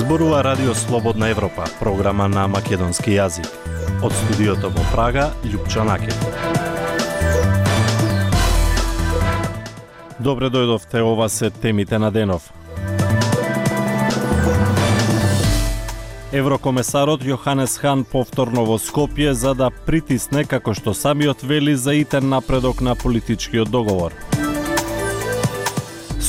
Зборува Радио Слободна Европа, програма на македонски јазик. Од студиото во Прага, Љупчо Накев. Добре дојдовте, ова се темите на денов. Еврокомесарот Јоханес Хан повторно во Скопје за да притисне, како што самиот вели, за итен напредок на политичкиот договор.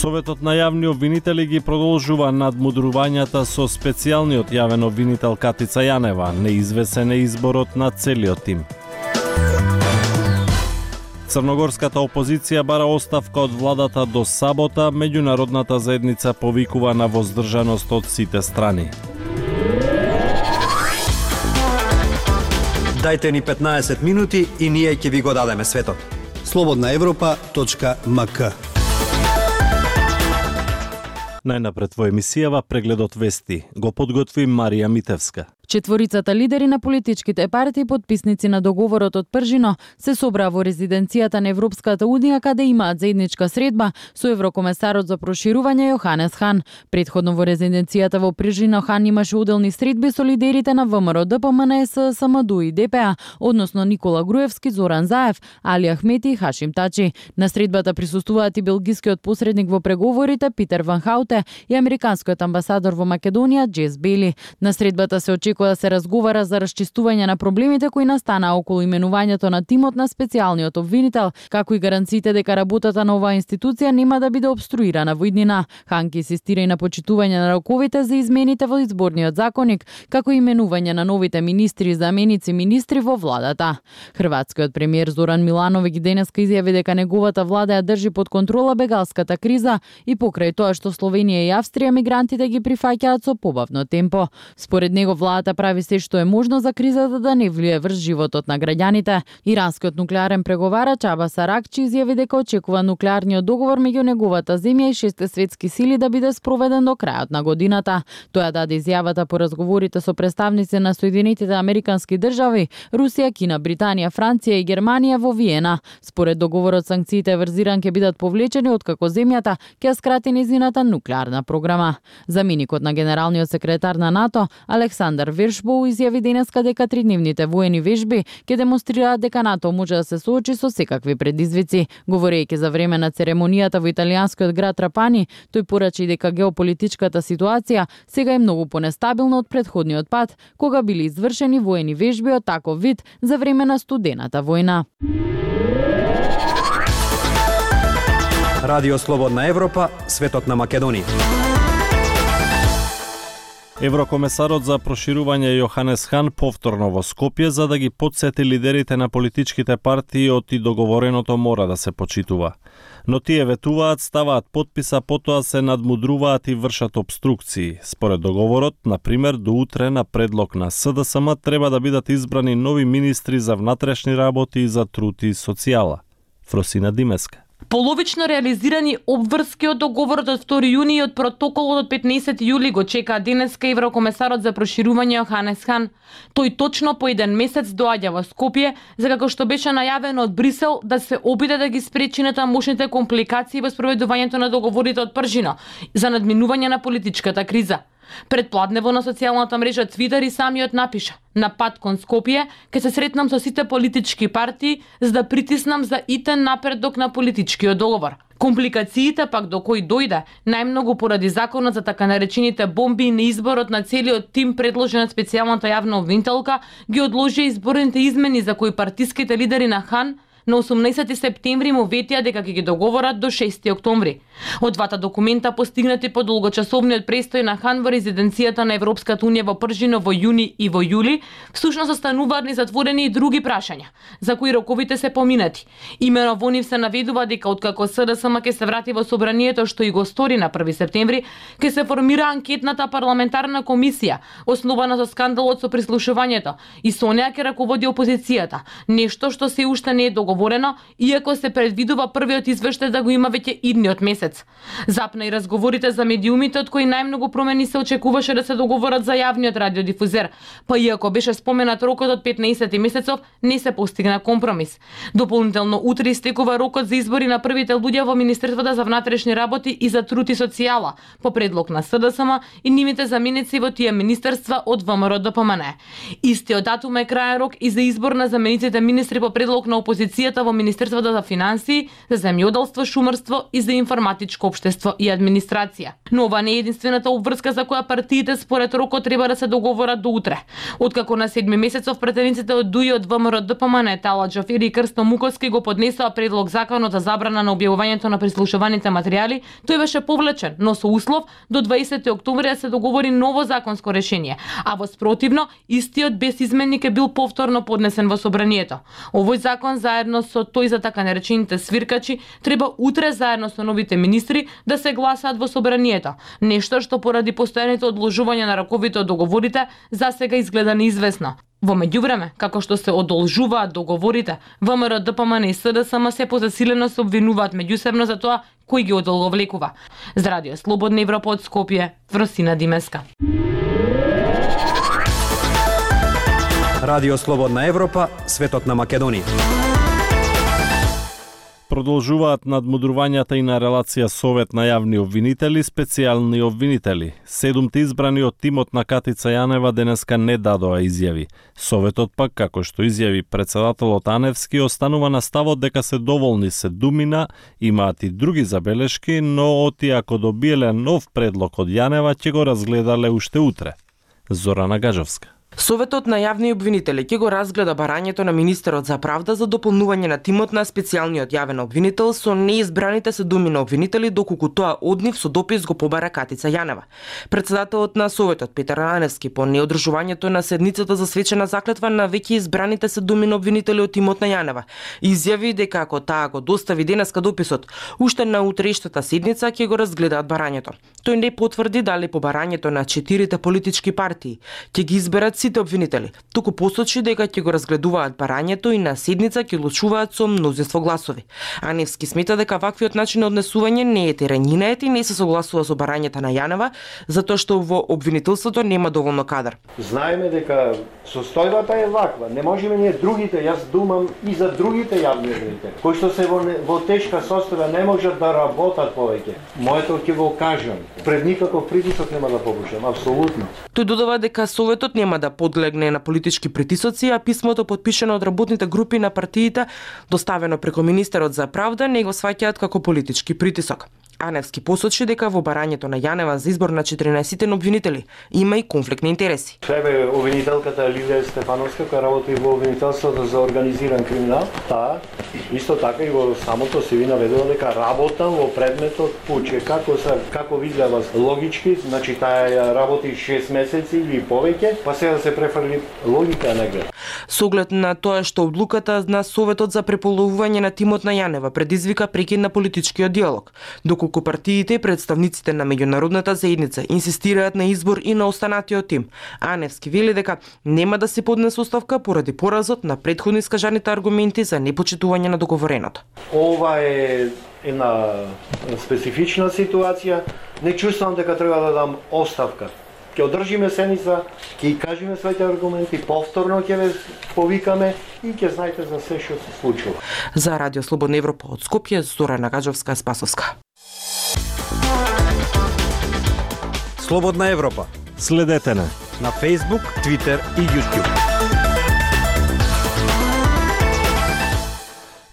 Советот на јавни обвинители ги продолжува надмудрувањата со специјалниот јавен обвинител Катица Јанева. Неизвесен е изборот на целиот тим. Црногорската опозиција бара оставка од владата до сабота, меѓународната заедница повикува на воздржаност од сите страни. Дајте ни 15 минути и ние ќе ви го дадеме светот. slobodnaevropa.mk. Најнапред во емисијава прегледот вести го подготви Марија Митевска. Четворицата лидери на политичките партии, потписници на договорот од Пржино, се собраа во резиденцијата на Европската унија, каде имаат заедничка средба со еврокомесарот за проширување Јоханес Хан. Предходно во резиденцијата во Пржино Хан имаше уделни средби со лидерите на ВМРО, ДПМНС, СМДУ и ДПА, односно Никола Груевски, Зоран Заев, Али Ахмети и Хашим Тачи. На средбата присуствуваат и белгискиот посредник во преговорите Питер Ван Хауте и американскиот амбасадор во Македонија Джес Бели. На средбата се очекува да се разговара за расчистување на проблемите кои настанаа околу именувањето на тимот на специјалниот обвинител, како и гаранциите дека работата на оваа институција нема да биде обструирана во иднина. Хан ки инсистира и на почитување на роковите за измените во изборниот законник, како и именување на новите министри и заменици министри во владата. Хрватскиот премиер Зоран Милановиќ денеска изјави дека неговата влада ја држи под контрола бегалската криза и покрај тоа што Словенија и Австрија мигрантите ги прифаќаат со побавно темпо. Според него владата прави се што е можно за кризата да не влие врз животот на граѓаните. Иранскиот нуклеарен преговарач Абас Аракчи изјави дека очекува нуклеарниот договор меѓу неговата земја и 6 светски сили да биде спроведен до крајот на годината. Тој даде изјавата по разговорите со представници на Соединетите Американски држави, Русија, Кина, Британија, Франција и Германија во Виена. Според договорот, санкциите врз Иран ќе бидат повлечени откако земјата ќе скрати нејзината нуклеарна програма. Заменикот на генералниот секретар на НАТО Александар Вершбоу изјави денеска дека тридневните воени вежби ќе демонстрираат дека НАТО може да се соочи со секакви предизвици. Говорејќи за време на церемонијата во италијанскиот град Трапани, тој порачи дека геополитичката ситуација сега е многу понестабилна од претходниот пат, кога били извршени воени вежби од таков вид за време на студената војна. Радио Слободна Европа, светот на Македонија. Еврокомесарот за проширување Јоханес Хан повторно во Скопје за да ги потсети лидерите на политичките партии од и договореното мора да се почитува. Но тие ветуваат, ставаат потписа, потоа се надмудруваат и вршат обструкции. Според договорот, например, до утре на предлог на СДСМ треба да бидат избрани нови министри за внатрешни работи и за труд и социјала. Фросина Димеска. Половично реализирани обврски од договорот од 2 јуни и од протоколот од 15 јули го чекаа денеска еврокомесарот за проширување Јоханес Хан. Тој точно по еден месец доаѓа во Скопје, за како што беше најавено од Брисел да се обиде да ги спречи натамошните компликации во спроведувањето на договорите од Пржино за надминување на политичката криза. Предпладнево на социјалната мрежа Твитер и самиот напиша: "На пат кон Скопје ќе се сретнам со сите политички партии за да притиснам за итен напредок на политичкиот договор." Компликациите пак до кои дојде најмногу поради законот за така наречените бомби и неизборот на целиот тим предложен од специјалната јавна обвинителка ги одложи изборните измени за кои партиските лидери на Хан на 18 септември му ветија дека ќе ги договорат до 6 октомври. Од двата документа постигнати по долгочасовниот престој на Хан во резиденцијата на Европската унија во Пржино во јуни и во јули, всушност остануваат незатворени и други прашања, за кои роковите се поминати. Имено во нив се наведува дека откако СДСМ ќе се врати во собранието, што и го стори на 1 септември, ќе се формира анкетната парламентарна комисија, основана со скандалот со прислушувањето, и со неа ќе раководи опозицијата, нешто што се уште не е договорено договорено, иако се предвидува првиот извештај да го има веќе идниот месец. Запна и разговорите за медиумите, од кои најмногу промени се очекуваше да се договорат за јавниот радиодифузер, па иако беше споменат рокот од 15 месецов, не се постигна компромис. Дополнително утре истекува рокот за избори на првите луѓе во Министерството за внатрешни работи и за труд и социјала, по предлог на СДСМ и нивните заменици во тие министерства од ВМРО ДПМН. Истиот датум е крајен рок и за избор на замениците министри по предлог на опозицијата во Министерството за финансии, за земјоделство, шумарство и за информатичко општество и администрација. Но ова не е единствената обврска за која партиите според рокот треба да се договорат до утре. Откако на 7 месецов претениците од ДУИ од ВМРО ДПМН, Тала Џафери и Крсто Муковски го поднесоа предлог законот за забрана на објавувањето на прислушуваните материјали, тој беше повлечен, но со услов до 20 октомври да се договори ново законско решение, а во спротивно истиот без изменник е бил повторно поднесен во собранието. Овој закон заедно со тој за така наречените свиркачи треба утре заедно со новите министри да се гласаат во собранието. Нешто што поради постојаните одложувања на раковите од договорите засега изгледа неизвестно. Во меѓувреме, како што се одолжуваат договорите, ВМРО ДПМН и СДСМ се позасилено се обвинуваат меѓусебно за тоа кој ги одолговлекува. За Радио Слободна Европа од Скопје, Фросина Димеска. Радио Слободна Европа, светот на Македонија. Продолжуваат надмудрувањата и на релација Совет на јавни обвинители, специјални обвинители. 7 избрани од тимот на Катица Јанева денеска не дадоа изјави. Советот пак, како што изјави претседателот Аневски, останува на ставот дека се доволни се Думина, имаат и други забелешки, но оти ако добиеле нов предлог од Јанева, ќе го разгледале уште утре. Зорана Гажовска. Советот на јавни обвинители ќе го разгледа барањето на министерот за правда за дополнување на тимот на специјалниот јавен обвинител со неизбраните се думи на обвинители, доколку тоа од нив со допис го побара Катица Јанева. Претседателот на Советот Петар Аневски по неодржувањето на седницата за свечена заклетва на веќе избраните се думи на обвинители од тимот на Јанева изјави дека ако таа го достави денеска дописот, уште на утрешната седница ќе го разгледаат барањето. Тој не потврди дали по барањето на 4 политички партии ќе ги изберат сите обвинители, туку посочи дека ќе го разгледуваат барањето и на седница ќе одлучуваат со мнозинство гласови. Аневски смета дека ваквиот начин на однесување не е теренинет и не се согласува со барањето на Јанева, затоа што во обвинителството нема доволно кадар. Знаеме дека состојбата е ваква, не можеме ние другите, јас думам и за другите јавни обвинители, кои што се во тешка состојба не можат да работат повеќе. Моето ќе го кажам, пред никаков притисок нема да попушам, апсолутно. Тој додава дека Советот нема да подлегне на политички притисоци, а писмото подпишано од работните групи на партиите, доставено преку министерот за правда, не го сваќаат како политички притисок. Аневски посочи дека во барањето на Јанева за избор на 14 обвинители има и конфликт на интереси. Себе обвинителката Лилија Стефановска, која работи во обвинителството за организиран криминал, таа исто така и во самото се ви наведува дека работам во предметот пуче, како видела логички, значи таа работи 6 месеци или повеќе, па сега да се префрли логика негде. Со оглед на тоа што одлуката на Советот за преполовување на тимот на Јанева предизвика прекид на политичкиот диалог, доколку партиите и представниците на меѓународната заедница инсистираат на избор и на останатиот тим. Аневски вели дека нема да се поднесе оставка поради поразот на претходно искажаните аргументи за непочитување на договореното. Ова е една специфична ситуација. Не чувствувам дека треба да дам оставка. Ќе одржиме седница, ќе кажеме своите аргументи, повторно ќе ве повикаме и ќе знаете за се што се случува. За Радио Слободна Европа од Скопје, Зорана Гаджовска, Спасовска. Слободна Европа. Следете на Facebook, Twitter и YouTube.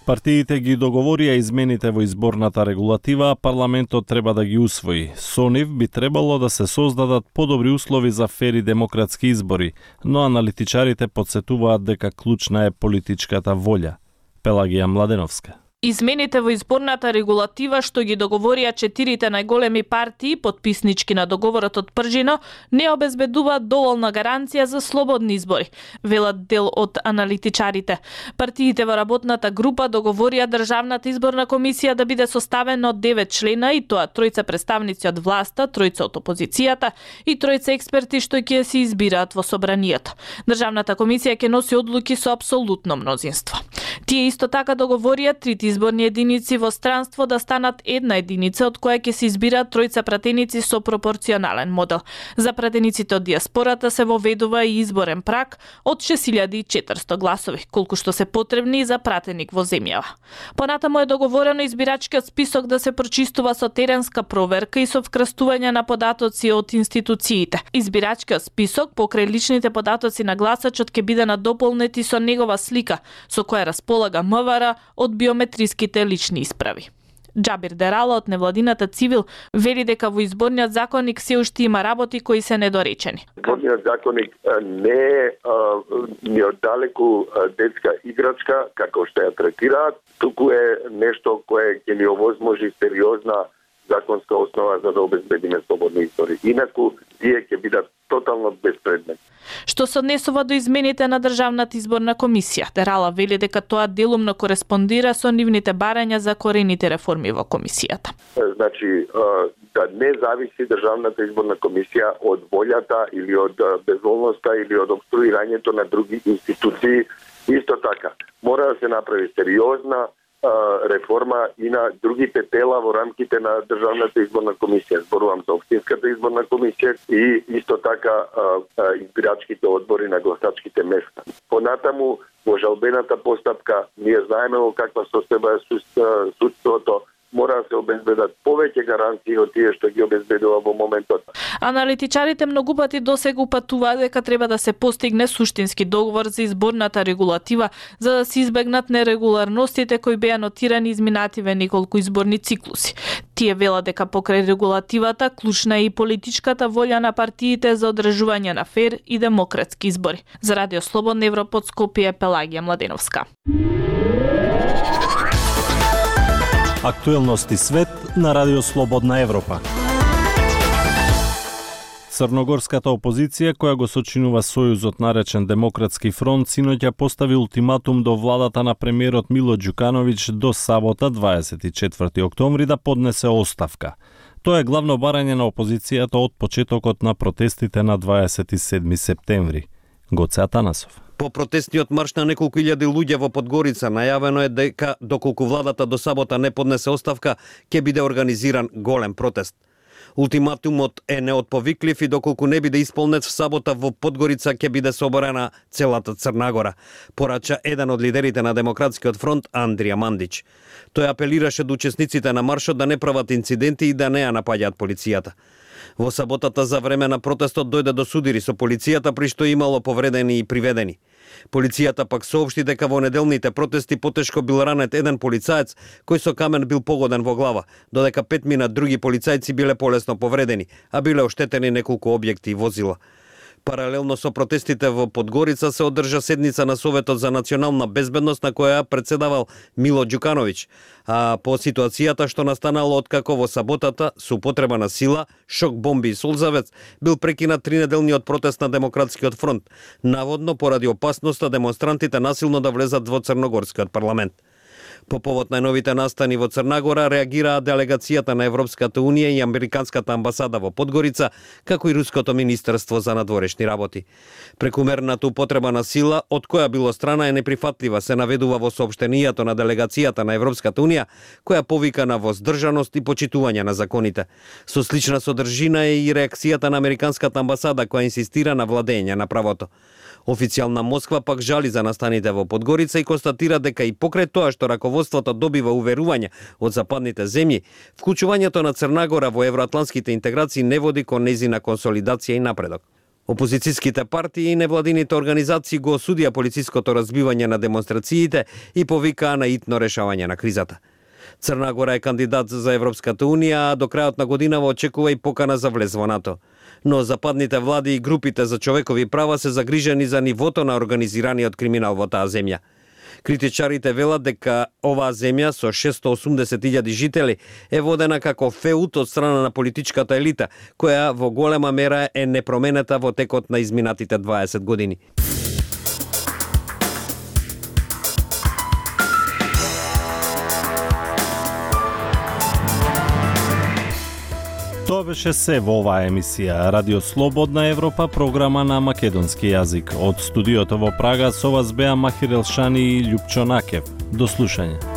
Партиите ги договорија измените во изборната регулатива, а парламентот треба да ги усвои. Со нив би требало да се создадат подобри услови за фери демократски избори, но аналитичарите потсетуваат дека клучна е политичката волја. Пелагија Младеновска. Измените во изборната регулатива што ги договорија 4 најголеми партии, потписнички на договорот од Пржино, не обезбедуваат доволна гаранција за слободни избори, велат дел од аналитичарите. Партиите во работната група договорија Државната изборна комисија да биде составена од 9 члена, и тоа 3 представници од власта, 3 од опозицијата и 3 експерти што ќе се избираат во собранието. Државната комисија ќе носи одлуки со апсолутно мнозинство. Тие исто така договорија трите изборни единици во странство да станат една единица од која ќе се избираат тројца пратеници со пропорционален модел. За пратениците од диаспората се воведува и изборен праг од 6400 гласови, колку што се потребни за пратеник во земјава. Понатаму е договорено избирачкиот список да се прочистува со теренска проверка и со вкрстување на податоци од институциите. Избирачкиот список покрај личните податоци на гласачот ќе биде надополнети со негова слика, со која располага МВР од биометриските лични исправи. Џабир Дерала од невладината Цивил вели дека во изборниот законник се уште има работи кои се недоречени. Изборниот законник не е ни оддалеку детска играчка како што ја третираат, туку е нешто кое ќе ни овозможи сериозна законска основа за да обезбедиме слободни избори. Инаку тие ќе бидат тотално безпредметни. Што се однесува до измените на Државната изборна комисија, Дерала вели дека тоа делумно кореспондира со нивните барања за корените реформи во комисијата. Значи, да не зависи Државната изборна комисија од волјата или од безволноста или од обструирањето на други институции. Исто така, мора да се направи сериозна реформа и на другите тела во рамките на Државната изборна комисија. Зборувам за Општинската изборна комисија и исто така избирачките одбори на гласачките места. Понатаму, во жалбената постапка, ние знаеме во каква состојба е судството, мора да се обезбедат повеќе гаранции од тие што ги обезбедува во моментот. Аналитичарите многу пати досега упатуваат дека треба да се постигне суштински договор за изборната регулатива за да се избегнат нерегуларностите кои беа нотирани изминативе неколку изборни циклуси. Тие велат дека покрај регулативата клучна е и политичката волја на партиите за одржување на фер и демократски избори. За Радио Слободна Европа од Скопје, Пелагија Младеновска. Актуелности свет на Радио Слободна Европа. Црногорската опозиција, која го сочинува сојузот наречен Демократски фронт, синоќа постави ултиматум до владата на премиерот Мило Ѓукановиќ до сабота 24 октомври да поднесе оставка. Тоа е главно барање на опозицијата од почетокот на протестите на 27 септември. Гоце Атанасов. По протестниот марш на неколку илјади луѓе во Подгорица најавено е дека доколку владата до сабота не поднесе оставка, ќе биде организиран голем протест. Ултиматумот е неотповиклив и доколку не биде исполнет в сабота во Подгорица ќе биде соборена целата Црна Гора, порача еден од лидерите на Демократскиот фронт Андрија Мандич. Тој апелираше до учесниците на маршот да не прават инциденти и да не ја напаѓаат полицијата. Во саботата за време на протестот дојде до судири со полицијата, при што имало повредени и приведени. Полицијата пак соопшти дека во неделните протести потешко бил ранет еден полицаец кој со камен бил погоден во глава, додека 5 други полицајци биле полесно повредени, а биле оштетени неколку објекти и возила. Паралелно со протестите во Подгорица се одржа седница на Советот за национална безбедност на која председавал Мило Ѓукановиќ, а по ситуацијата што настанало откако во саботата со употреба на сила, шок бомби и солзавец бил прекинат 3-неделниот протест на Демократскиот фронт, наводно поради опасноста демонстрантите насилно да влезат во Црногорскиот парламент. По повод најновите настани во Црна Гора реагираа делегацијата на Европската унија и Американската амбасада во Подгорица, како и Руското министерство за надворешни работи. Прекумерната употреба на сила, од која било страна, е неприфатлива, се наведува во соопштенијето на делегацијата на Европската унија, која повика на воздржаност и почитување на законите. Со слична содржина е и реакцијата на Американската амбасада, која инсистира на владење на правото. Официјална Москва пак жали за настаните во Подгорица и констатира дека и покрај тоа што раководството добива уверување од западните земји, вклучувањето на Црна Гора во евроатлантските интеграции не води кон нејзина консолидација и напредок. Опозицијските партии и невладините организации го осудија полициското разбивање на демонстрациите и повикаа на итно решавање на кризата. Црна Гора е кандидат за Европската унија, а до крајот на годинава очекува и покана за влез во НАТО. Но западните влади и групите за човекови права се загрижени за нивото на организираниот криминал во таа земја. Критичарите велат дека оваа земја со 680.000 жители е водена како феут од страна на политичката елита, која во голема мера е непроменета во текот на изминатите 20 години. Тоа беше се во оваа емисија Радио Слободна Европа, програма на македонски јазик. Од студиото во Прага со вас беа Махир Елшани и Љупчо Накев. До слушање.